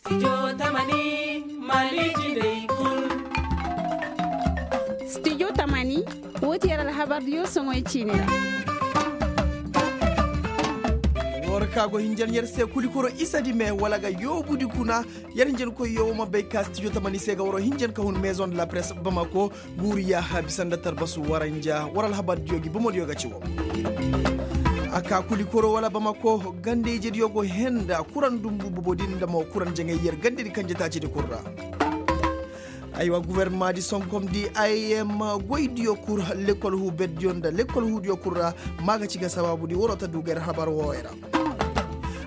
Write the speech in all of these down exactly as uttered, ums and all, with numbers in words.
Studio tamani, woo ti yer alhabardiyo soŋoy ciini ra. War ka go hinjan yer se kulikoro isa di me wala ga yoobudi kuna. Yer hinjankoyyo wo ma bay ka studio tamani se ga waroo hinjan ka hun maison de la presse bamako. Guuru yaaha bisa nda tarbasu waranja war alhabardiyo gi bomodiyo ga ci wo. A ka kulikoro wala bamako ganda-ijediyo go henda kuran dumbu bobo din nda mo kuran jaŋay yer gandedi kanje taacidi kul ra. Aywa guwernamaadi sonkomdi im goydiyo kul, lekkol huu berdiyo nda lekkol huudiyo kul ra. Maa ga ci ga sabaabudi waroo ta du ga yer habar wooyo ra.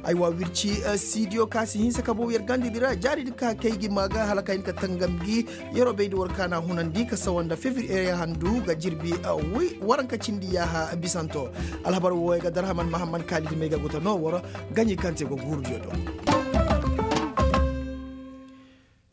Aywa wirci siidiyo ka si hinsa ka bow yer gandedi ra jaaridi ka kay gi maa ga hala ka hin ka tangam gi. Yeroo bayndi war kaana hunandi ka sawa nda fevriye handu ga jirbi waranka cindi yaaha bisanto. Alhabar wooyo ga darhaman mahamman kaalidi may ga guta no war gaɲi kaŋ te go guurudiyo do.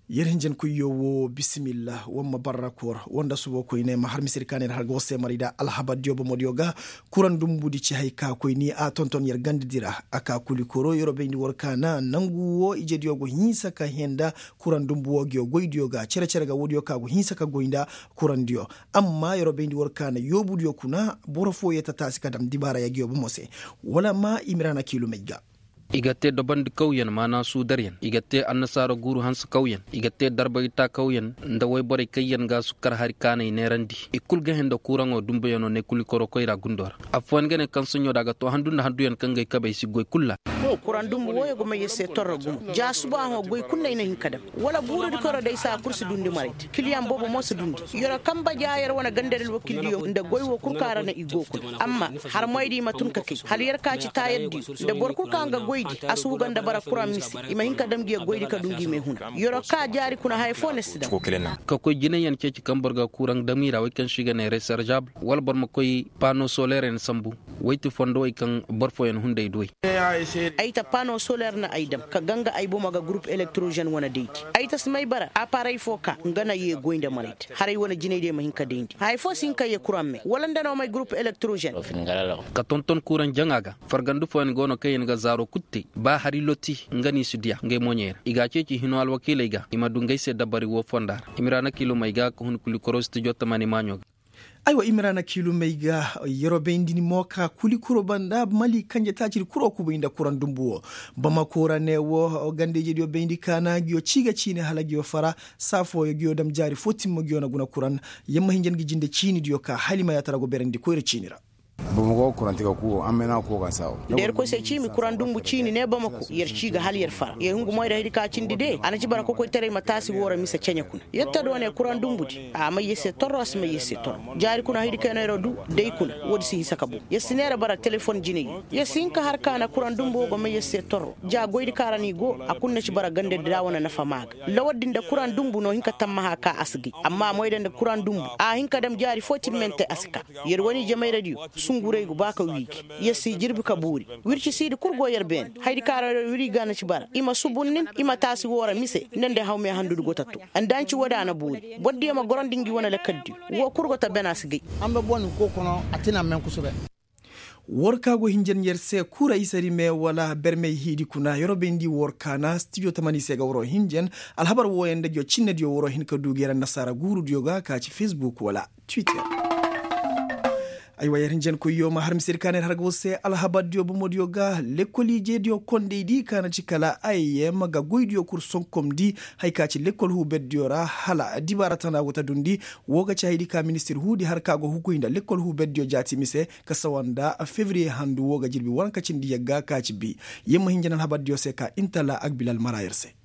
Yer hinjankoyyo wo bisimilla war ma barra koor war nda subo koyne ma har misedi ka ne yer har ga war se maray da alhabardiyo bomodiyo ga. Kuraŋ dumbudi ci hay ka koy ni a tonton yer gandedi ra. A ka kuli koro yeroo bayndi war kaana nangu wo ijediyo go hinsa ka henda kuraŋ dumbu wo ngiyo goydiyo ga cere-cere ga woodiyo ka go hinsa ka goy nda kuraŋdiyo. Amma yeroo bayndi war kaana yoobudiyo kuna boro fooyey ta taasi ka dam dibaara yagiyo bomo se. Wala ma imiraana kiilumey ga. I ga te dabandi kawyaŋ maana suudaryaŋ i ga te annasaara guuru hanse kawyaŋ i ga te darbay taa kawyaŋ nda woyborey kaŋyaŋ ga sukkar hari kaanay neerandi. I kul ga hẽ nda kuuraŋo dumbuyaŋo ne kuli koro koyra gundo ra. Affooyaŋ ga ne kaŋ soɲõ da a ga to handu nda handuyaŋ kaŋ ga ay kabey si goy kul ra. Kuraŋ dumbu wooyo ga may yer se torro gumo ja suba hõ goy kul no ay na hin ka dam. Wala buurudi koyro day saa kul si dundi maray te kiliyaŋ boobo mo si dundi. Yeroo kamba ja yer wane gandadi alwakiildiyo nda goy woo kul kaŋ ra no i go kul. Amma harmoydi i ma tun ka kay hala yer ka ci taayaddiyo nda boro kul kaŋ ga goydi a si huga nda bara kuraŋ mise. I ma hin ka dam ngiyo goydi ka du ngi me huna. Yeroo ka jaari kuna haya foo no si dam. Ka koy jinayyaŋ ceeci kaŋ boro ga kuraŋ dam i ra wey kaŋ se i ga ne reserjabul wala boro ma koy pano soleryaŋ sambu. Woy ti fondowey kaŋ boro fooyaŋ hunday duwey. Ay ta pano soler no ay dam ka ganga ay bomo ga gurup elektrozen wane daydi. Ay ta si may bara aparey foo ka nga na yee goy nda maray te haray wane jinay day ma hin ka dayndi haya foo si hin ka yee kuraŋ me wala nda no may gurup elektrozen. Ka tonton kuraŋ jaŋa ga fargandi fooyaŋ go no kaŋyaŋ ga zaaro kul te ba hari loti nga no i si diya ngey mooɲey ra i ga a ceeci hino alwakiiley ga i ma du ngey se dabari woo fonda ra. Imiraana kiilumey ga ka hun kuli koro studio tamani maaɲo ga. Aywa imiraana kiilumey ga yeroo bayndi ni mo ka kuli koro banda mali kanje taacidi kuro kubay nda kuraŋ dumbu woo. Bamako ra ne woo ganda-ijediyo bayndi kaana ngiyo cii ga ciine hala ngiyo fara saa fooyo ngiyo dam jaari foo timma ngiyo na guna kuraŋ. Yer ma hinja ngi jinde ciinidiyo ka hala i ma yaatara go berandi koyra ciini ra. Bamako kuranti ga kuwo an mena kuwo ga saawo. Da yer koy se ciimi kuraŋ dumbu ciini ne bamako yer cii ga hala yer fara yer hungu moy da haydi ka cindi de a na ci bara kokoytaray ma taasi woo ra mise ceɲe kuna. Yer ta doone kuraŋ dumbudi a may yer se torro a si may yer se torro. Jaari kuna haydi kaŋ yer no yer du day kuna woodi si hinsa ka bow yer si neera bara telefon jinay. Yer si hin ka har ka na kuraŋ dumbu woo go may yer se torro ja goydi kaŋ ra no i go a kulu na ci bara gandadi ra wane nafa maa ga. Lawar din nda kuraŋ dumbu no hin ka tammaha ka a si gay amma moy da nda kuraŋ dumbu a hin ka dam jaari foo timmante a si ka. Yer wane ijemayradiyo sungurey go ba ka wiigi. Yer si jirbi ka buuri. Wircisiidi kul go yer beene haydi kaŋ ra yer wiri ga na ci bara i ma subun nin i ma taasi woo ra mise nda nda hawme handudi go ta too. Nda a nci woodi a na buuri bordiyo ma gorandi ngi wane lakaldiyo. Woo kul go ta bena si gay. War ka go hinjan yer se kura isari me wala bermey hiidi kuna yeroo bayndi war kaana stijo tamani se ga waroo hinjan. Alhabar wooyaŋ nda ngiyo cinnediyo waroo hin ka du ga yer annasaara guurudiyo ga ka ci fesbuk wala twitter. Aywa yer hinjankoyyo ma har misedi ka na yer har ga war se alhabardiyo bomodiyo ga lekkol ijediyo kondaydi ka na ci kala ayyem ga goydiyo kul sonkomndi. Haya ka ci lekkol huuberdiyo ra hala dibaara tana go ta dundi. Woo ga ci hayadi ka ministir huudi har ka go hukuy nda lekkol huuberdiyo jaati mise ka sawa nda fevriye handu woo ga jirbi waranka cindi yagga ka ci bi. Yer ma hinja na alhabardiyo se ka intala agbilal mara yer se.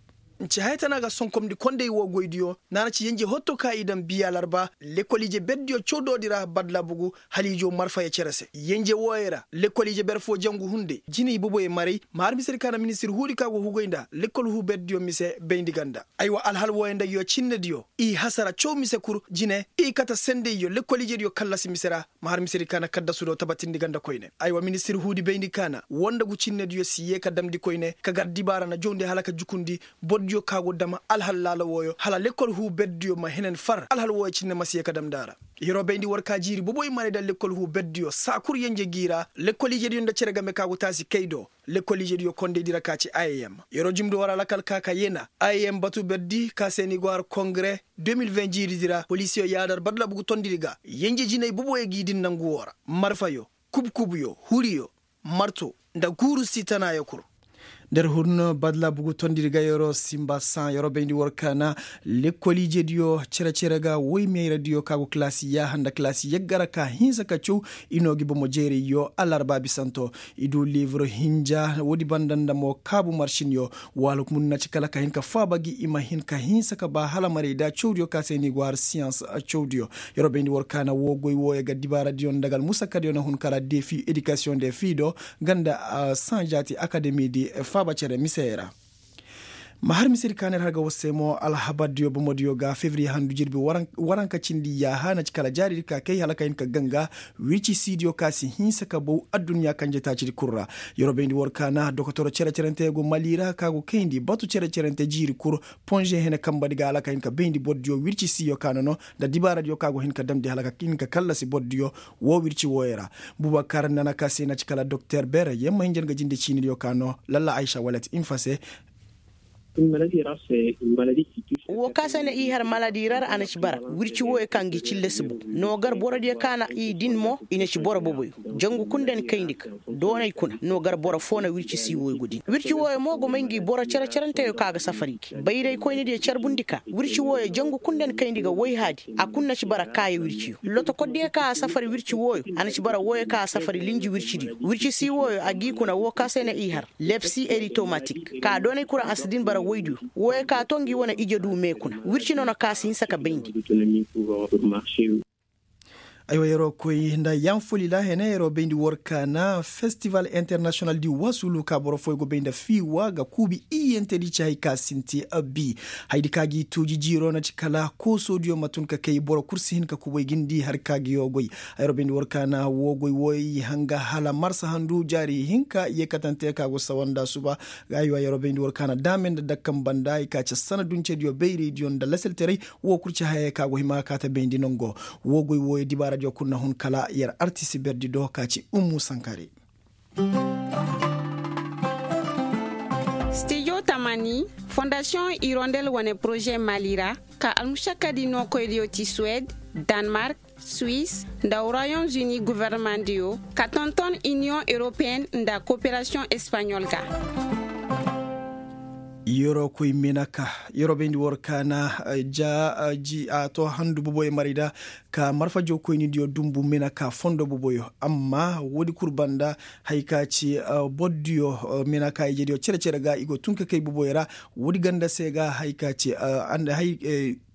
Nce haya tana ga sonkomndi konday woo goydiyo naara ci yenje hotto ka i daŋ biya larba. Lekkol ije berdiyo cawdoodi ra badla bugu hala ijo marfaya cere se yenje wooyo ra lekkol ije ber foo jangu hunday jinay boboyo maray. Ma har misedi ka na ministir huudi ka go hugay nda lekkol huu berdiyo mise bayndi ganda. Aywa alhal wooyo nda ngiyo cinnediyo i hasara caw mise kul jine i kate sendayyo lekkol ijediyo kallasi mise ra. Ma har misedi ka na kaddasudo tabatindi ganda koyne aywa ministir huudi bayndi ka na woo nda ngu cinnediyo si yee ka damndi koyne ka gar dibaara na jawndi hala ka jukundi. Bordiyo ka go dam alhal laala wooyo hala lekkol huu berdiyo ma henen far alhal wooyo cinne ma si yee ka damndi a ra. Yeroo bayndi war ka jiiri boboy marayda lekkol huu berdiyo saa kul yenje g'i ra lekkol ijediyo nda cere game ka go taasi kay do. Lekkol ijediyo kondaydi ra ka ci i m yeroo jumndi war alakal ka ka yena i m batu berdi ka se ni go har kongare. De mil ven jiiridi ra polisiyo yaadar badlabugu tondidi ga yenje jinay boboyo g'i din nangu woo ra marfayo, kubkubuyo, huriyo, marto, nda guuru si tanaayo kul. Der hun badla bugu tondiri ga yeroo simba saŋ yeroo bayndi war kaana lekkol ijediyo cere-cere ga woy meeradiyo ka go kalaasi yaaha nda kalaasi yagga ra ka hinsa ka caw. I noo gi bomo jeerayyo alarba bisanto. I du liibur hinja woodi banda nda mo kaabu marsinyo. Waala hukumun na ci kala ka hin ka faaba gi i ma hin ka hinsa ka ba hala maray da cawdiyo ka se ni go har siyans cawdiyo. Yeroo bayndi war kaana woo goy wooyo ga dibaaradiyo nda ga almusakadiyo na hun kala defi edikasiyoŋ de fii do. Ganda sanjaati akademi di faaba cere misey ra. Ma har misedi ka neer har ga war se mo alhabardiyo bomodiyo ga fevriye handu jirbi waranka cindi yaaha na ci kala jaaridi ka kay hala ka hin ka ganga. Wirci siidiyo ka si hinsa ka bow adduɲɲa kanje taacidi kul ra. Yeroo bayndi war kaana dokotoro cere-cerente go mali ra ka go kayndi batu cere-cerente jiiri kul. Ponže hene kambadi ga hala ka hin ka bayndi bordiyo wirci siiyo ka nono nda dibaaradiyo ka go hin ka damndi hala ka hin ka kallasi bordiyo. Woo wirci wooyo ra bubakar nana ka se na ci kala doktor ber yamma hinja nga jinde ciinidiyo ka no lalla aysa walet infa se. Woo ka se na i har maladi ra a na ci bara wirci wooyo ka ngi cille si bow. Noo gar borodiyo ka na i din mo i na ci boro boboyo. Jangu kul nda ni kayndi ga doonay kuna noo gar boro foo na wirci sii wooyo go din wirci wooyo mo go may ngi boro cere-cerenteyo ka ga safari gi bayraykoynidiyo carbundi ka wirci wooyo jangu kul nda ni kayndi ga woy haadi. A kul na ci bara kaaya wirciyo lotokordiyo ka a safari wirci wooyo a na ci bara wooyo ka a safari linji wircidiyo wirci sii wooyo a g'i kuna woo ka se na i har lepsi eritomatik ka doonay kul ra a si din bara woydiyo. Wooyo ka too ngi wane ije du mee kuna wirci nono ka si hinsa ka bayndi. Aywa yeroo koy nda yanfoli ra hene yeroo bayndi war kaana festival internasiyonal di wasulu ka boro fooyo go bay nda fiiwa ga kuubi iyentedi ci hay ka sinti. Bi haydi ka gi tuuji jiiroo na ci kala koosoodiyo ma tun ka kay boro kul si hin ka kubay gindi har ka gi yoo goy. Ayro bayndi war kaana woo goy wooyo i hanga hala marsa handu jaari hinka yeekatante ka go sawa nda suba. Aywa yeroo bayndi war kaana daame nda dakkan banda i ka ci sana duncediyo bayraydiyo nda lasaltaray. Woo kul ci hayey ka go hima ka ta bayndi nongo. Woo goy wooyo dibaaradiyo kul na hun kala yer artisi berdi do ka ci ummu sankare. Stijo tamani fondasiyoŋ irondel wane poroze mali ra ka almušakkadi nookoydiyo ti suwed, danmark, swis, nda royaume-uni gofornemandiyo ka tonton iniyoŋ europeyen nda koperasiyoŋ espaɲol ga. Yeroo koy menaka yeroo bayndi war kaana ja a to handu boboyo marayda ka marfa jawkoynidiyo dumbu menaka fondo boboyo amma woodi kul banda. Hay ka ci bordiyo menaka ijediyo cere-cere ga i go tun ka kay boboyo ra. Woodi ganda se ga hay ka ci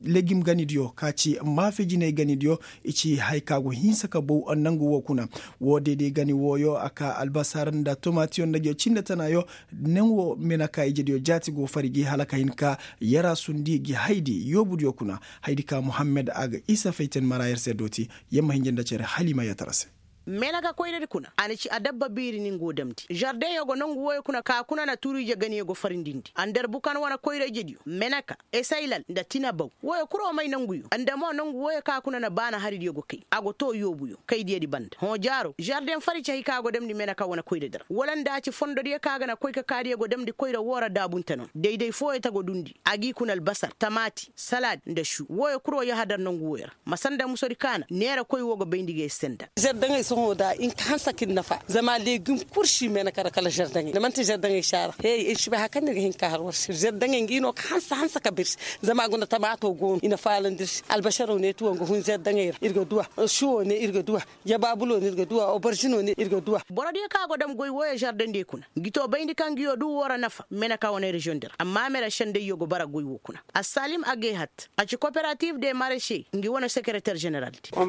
legim ganidiyo ka ci maafe jinay ganidiyo. I ci hay ka go hinsa ka bow nangu woo kuna. Woo deede gani wooyo a ka albasar nda tomatiyo nda ngiyo cinde tanaayo. Naŋ woo menaka ijediyo jaati go fari gi hala ka hin ka yaraasundi gi haydi yoobudiyo kuna. Haydi ka muhammed a ga isa fayten mara yer se dooti. Yer ma hinja nda cere halima yatara se. Menaka koyradi kuna a na ci adabba biiri ni nga go damndi žardeŋyo go nongu wooyo kuna ka kuna na turuije ganiyo go farindindi a nda yer bukan wane koyrayjediyo menaka, esaylal nda tinabaw. Wooyo kul wo may nonguyo nda mo nongu wooyo ka kuna na baana haridiyo go kay a go too yoobuyo kaydiyadi banda hõ jaaro žardeŋ fari ci hay ka go damndi menaka wane koyradi ra wala nda a ci fondodiyo ka ga na koy ka kaadiyo go damndi koyra woo ra daabunte no dayday fooyo ta go dundi a g'i kuna albasar tamaati, salaad nda šuu wooyo kul wo yahadar nongu wooyo ra. Ma sanda musodi kaana neera koy woo ga bayndi ga ay se nda. Žardaŋey sohõ da in ka hanse ka ir nafa zama legim kul si meenaka ra kala žardaŋey da man'ti žardaŋey si a ra. Hey ir si bay hari kaŋ no ir ga hin ka har war se žardaŋey ngi no ka hanse hanse ka ba ir se. Zama guna tamaato go no i na faalandi ir se albasaro ne ti wo nga hun žardaŋey ra ir ga duw'a. Suwo ne ir ga duw'a. Jabaabulo ne ir ga duw'a oboržino ne ir ga duw'a. Borodiyo kaŋ a go dam goy wooyo žardaŋdiyo kuna ngi to bayndi kaŋ ngi yo du woo ra nafa meenaka wane reziyoŋ di ra amma mere sendayyo go bara goy woo kuna. Assaalim agehat a ci koperatiiv de mareše ngi wane sekereter ženeral di. Ka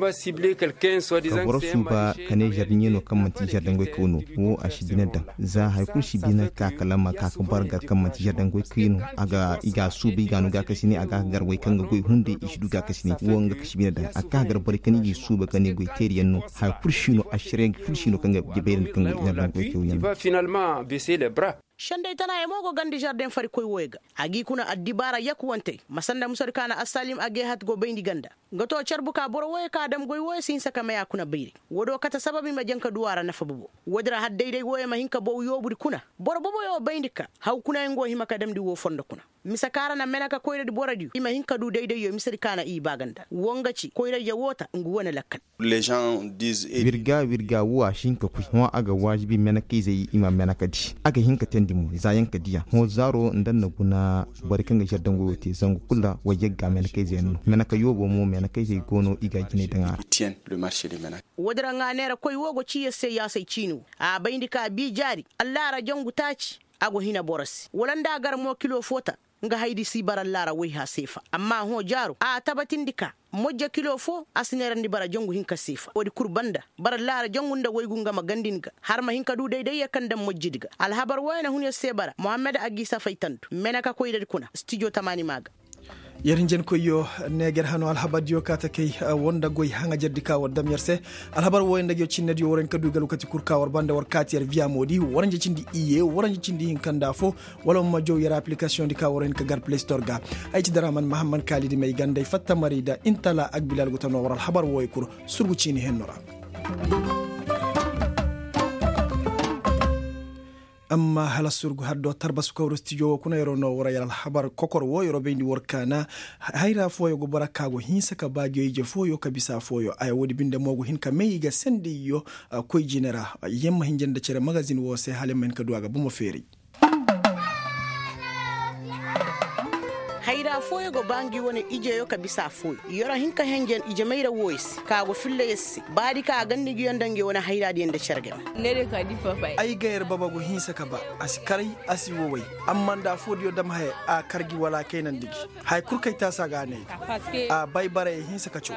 boro suuba ka ne žardaŋey no kaŋ man'ti žardaŋey koy no. Wo a si bine daŋ za hari kulu si bine ka kala ma ka ka bara gar kaŋ man'ti žardaŋey koy no. I ga a suuba i ga a no gaakasine a ga a ka gar borey kaŋ ga goy hunday i si du gaakasine wo nga ka si bine daŋ a ka gar borey kaŋ i g'i suuba ka ne goy teeriyaŋ no. Hari kulu si no a sere kulu si no kaŋ ga jabayra nda kaŋ goy žardaŋey koy teeriyaŋ no. Senday tanaayo mo go gandi žardeŋ farikoy wooyo ga. A g'i kuna addibaara yakuwantey ma sanda musadi kaŋ a na assaalim agehat go bayndi ganda. Nga to carbu ka boro wooyo ka dam goy wooyo si hinsa ka may a kuna bayray. Woodi wo kate sabab i ma jaŋ ka du a ra nafa bobo. Woodi ra har dayday wooyo ma hin ka bow yoobudi kuna. Boro boboyo bayndi ka haw kuna yaŋ go hima ka damndi woo fondo kuna. Mise ka ra na meneka koyradi borodiyo i ma hin ka du daydayyo misedi ka na i ba ga nda woo nga ci koyradiyo woo ta ngu wane lakkal. Wirga wirga woo a si hin ka koy hõ a ga waajibi menekayzey i ma menekadi. A ga hin ka teendi mo za yaŋ ka diya hõ zaaro nda na guna. Borey kaŋ ga žerdaŋ goyoo te zangu kul ra wayyagga menekayzey yaŋ no meneka yoobo mo menekayzey go no i ga a jinay daŋ a ra. Woodi ra ŋaa neera koy woo go ciiya se yaasay ciini woo a bayndi ka bii jaari. Allaara jangu taaci. A go hina boro se wala nda a gar mo kilo foo ta. Nga haydi si bara allaara wayha seefa amma hõ jaaro a tabatindi ka mojja kilo foo a si neerandi bara jangu hinka seefa woodi kul banda. Bara allaara jangu nda waygu nga ma gandin ga har ma hin ka du daydayya kaŋ daŋ mojjidi ga alhabar wooyo na hun yer se bara mohammed agiisa faytandu meneka koyradi kuna stijo tamaani maa ga. Yer hinjankoyyo, neeger hano alhabardiyo kaa ta kay. Woo nda goy haŋajerdi ka war dam yer se. Alhabar wooyo nda ngi cinnediyo war hin ka du i ga alwakati kul ka war banda war kaati yer viyamoodi waranja cindi iyye waranja cindi hinka nda foo. Wala ma jaw yer apilikasiyoŋdi ka war hin ka gar play store ga. Ay ci daraman mahamman kaalidi may ganda ay fatta maray da intala agbilal go ta noo war alhabar wooyo kul. Surgu ciini henno ra. Amma hala surgu haddo tarbasu kawru stijo wo kuna yeroo no wara yar alhabar kokor wo yeroo bayndi war kaana. Hayra fooyo go bara ka go hinsa ka ba ngi ije fooyo ka bisa fooyo aya woodi binde mo go hin ka may i ga sendayyo. Koy jine ra. Yamma hinja nda cere magazin wo se hala yamma hin ka du a ga bomo feeray. Hayra fooyo go ba ngi wane ijeyo ka bisa fooyo. Yeroo hin ka henjen ije mayra wooyo se ka go filla yer se baadi ka a gandi ngiyo nda ngi wane hayraadiyo nda cere game. Ay ga yer baba go hinsa ka ba a si karay. A si woway. Amma nda a foodiyo dam haya a kar gi wala a kaynandi gi. Haya kul kay taasa ga a ne ay. A bay baray ay hinsa ka caw.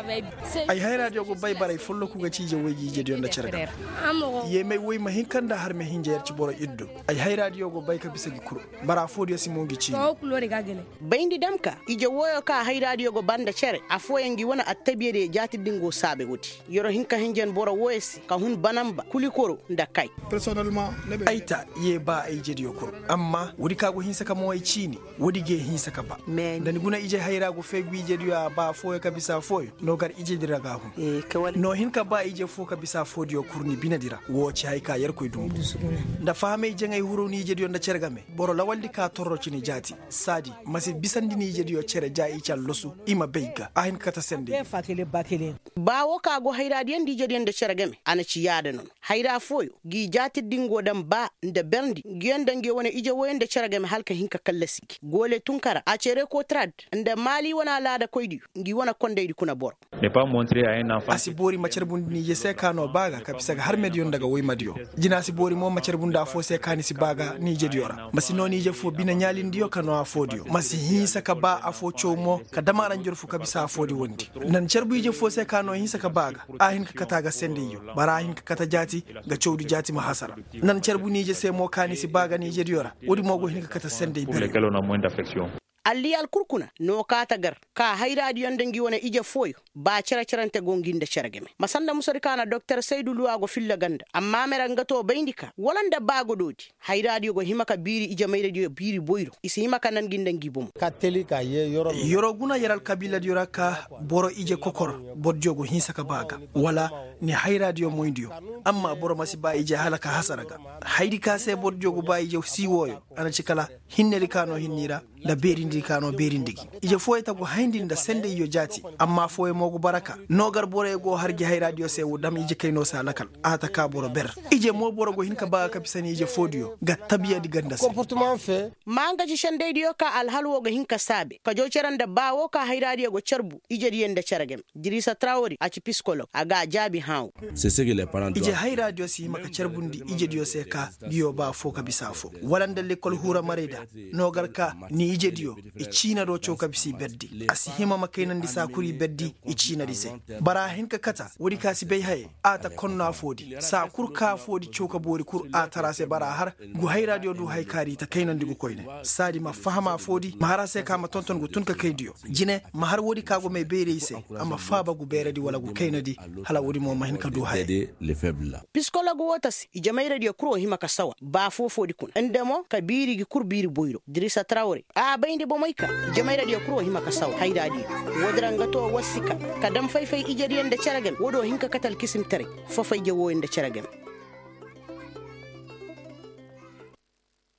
Ay hayraadiyo go bay baray folloku ga ci ije woy gi ijediyo nda cere game. Yeemay woy ma hin ka nda har ma hinja yer ci boro iddo. Ay hayraadiyo go bay ka bisa gi kul. Bara foodiyo si mo ngi ciini. Bayndi dam ka ije wooyo ka hayraadiyo go ba nda cere affooyaŋ ngi wane attabiyadiyo jaatidi nga go saabe woodi. Yeroo hin ka hinjan boro wooyo se ka hun banamba kulikoro nda kay. Ay ta yee ba ay ijediyo kul. Amma woodi ka go hinsa ka mo ay ciini. Woodi gee hinsa ka ba. Nda ni guna ije hayra go fay gu ijediyo a ba affooyo ka bisa affooyo. No gar ijedi ra ga a hun. No hin ka ba ije foo ka bisa affoodiyo kul ni binedi ra woo ci haya ka yerkoy dumbu. Nda fahamay jaŋay huru ni ijediyo nda cere game. Boro lawaldi ka torro ci ni jaati. Saadi ma si bisandi ni ijediyo cere ja i ci allasu. I ma bay ga a hin ka kate senday. Ba woo ka go hayraadiyo nda ijediyo nda cere game a na ci yaada no no. Hayra fooyo ngi jaatidi nga go daŋ ba nda berndi ngiyo nda ngi wane ije wooyo nda cere game hala ka hin ka kallasi gi goole tunkara a cere kotrad. Nda maali wane alaadakoydiyo ngi wane kondaydi kuna boro. A si boori ma carbundi ni ije se ka noo ba ga ka bisa ga harmediyo nda ga woymadiyo. Jina si boori mo ma carbundi affoo se ka ni si ba ga ni ijediyo ra ma si noo ni ije foo bine ɲaalindiyo ka noo affoodiyo ma si hinsa ka ba affoo caw mo. Ka dam a ra njorfu ka bisa affoodi wondi. Nan carbu ije foo se ka noo hinsa ka ba ga a hin ka kate a ga sendayyo. Bara a hin ka kate jaati nga cawdi jaati ma hasara. Nan carbu ni ije se mo ka ni si ba ga ni ijediyo ra. Woodi mo go hin ka kate senday bere. Alliyal kul kuna no kaata gar ka hayraadiyo nda ngi wane ije fooyo. Ba cere-cerante go ngi nda cere game ma sanda musadi ka na doktor saydu luwa go filla ganda amma mere nga to bayndi ka wala nda ba godoodi. Hayraadiyo go hima ka biiri ije mayradiyo biiri boyro i si hima ka nan ngi nda ngi bomo. Yeroo guna yer alkabiiladiyo ra ka boro ije kokor. Bordiyo go hinsa ka ba ga wala ni hayraadiyo moydiyo. Amma boro ma si ba ije hala ka hasara ga. Haydi ka se bordiyo go ba ije si wooyo a na ci kala hinnedi ka noo hinni ra. Nda beerindi ka noo beerindi gi ije fooyo ta go hayndi nda sendayyo jaati. Amma fooyo mo go bara ka noo gar boroyo go har gi hayraadiyo se wo dam ije kayno se a lakal. A ta ka boro ber ije mo boro go hin ka ba ga ka bisa ni ije foodiyo ga tabiyadi ganda se. Ma nga ci sendaydiyo ka alhal wo ga hin ka saabe ka jaw cere nda ba wo ka hayraadiyo go carbu ijediyo nda cere game. Diriisa trawri a ci pisikolog a ga a jaabi hãa wo. Ije hayraadiyo si hima ka carbundi ijediyo se ka ngiyo ba affoo ka bisa affoo wala nda lekkol huura marayda. No gar ka ni ijediyo i ciina do caw ka bisa i berdi a si hima ma kaynandi saa kul i berdi. I ciinadi se bara a hin ka kata woodi ka si bay haye. A ta konno affoodi saa kul ka affoodi caw ka boori kul a tara se bara a har. Ngu hayraadiyo du haya kaari i ta kaynandi ngu koyne. Saadi ma faham affoodi ma har a se ka ma tonton ngu tun ka kaydiyo. Jine ma har woodi ka go may bayray se. A ma faaba ngu beeradi wala ngu kaynadi. Hala woodi mo ma hin ka du haya. Pisikolog woo ta se ije mayradiyo kul wo hima ka sawa ba foo-foodi kuna nda mo ka biiri ngi kul biiri boyro diriisa trawre a bayndi. Moy ka jamayradiyo kul wo hima ka saw hayraadiyo. Woodin ra nga to war si ka ka dam fay-fay ijediyo nda cere game woodin wo hin ka kate alkisimtaray fafayje wooyo nda cere game.